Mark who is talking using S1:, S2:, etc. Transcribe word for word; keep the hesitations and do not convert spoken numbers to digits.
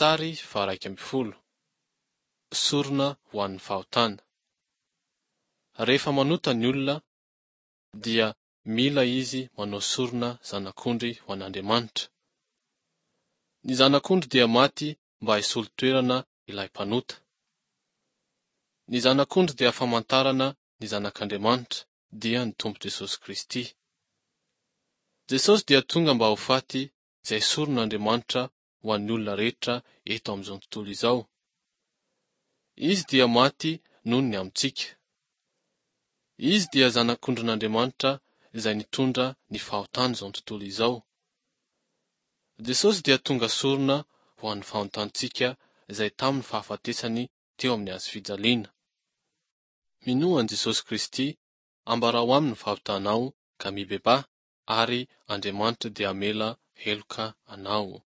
S1: Sary faha-iraika ambin'ny folo. Sorona ho an'ny fahotana. Rehefa manota ny olona dia mila izy manao sorona zanak'ondry ho an'Andriamanitra. Ny zanak'ondry dia maty mba hisolo toerana ilay mpanota. Ny zanak'ondry dia famantarana ny zanak'Andriamanitra, dia ny Tompo Jesosy Kristy. Jesosy dia tonga mba ho faty izay soron'Andriamanitra ho an'ny olona rehetra eto amin'izao tontolo izao. Izy dia maty noho ny amintsika. Izy dia zanak'ondrin'Andriamanitra izay nitondra ny fahotan'izao tontolo izao. Jesosy dia tonga sorona ho an'ny fahotantsika izay tamin'ny fahafatesany teo amin'ny hazo fijaliana. Minoa an'i Jesosy Kristy, ambarao aminy ny fahotanao ka mibebaha ary Andriamanitra dia hamela heloka anao.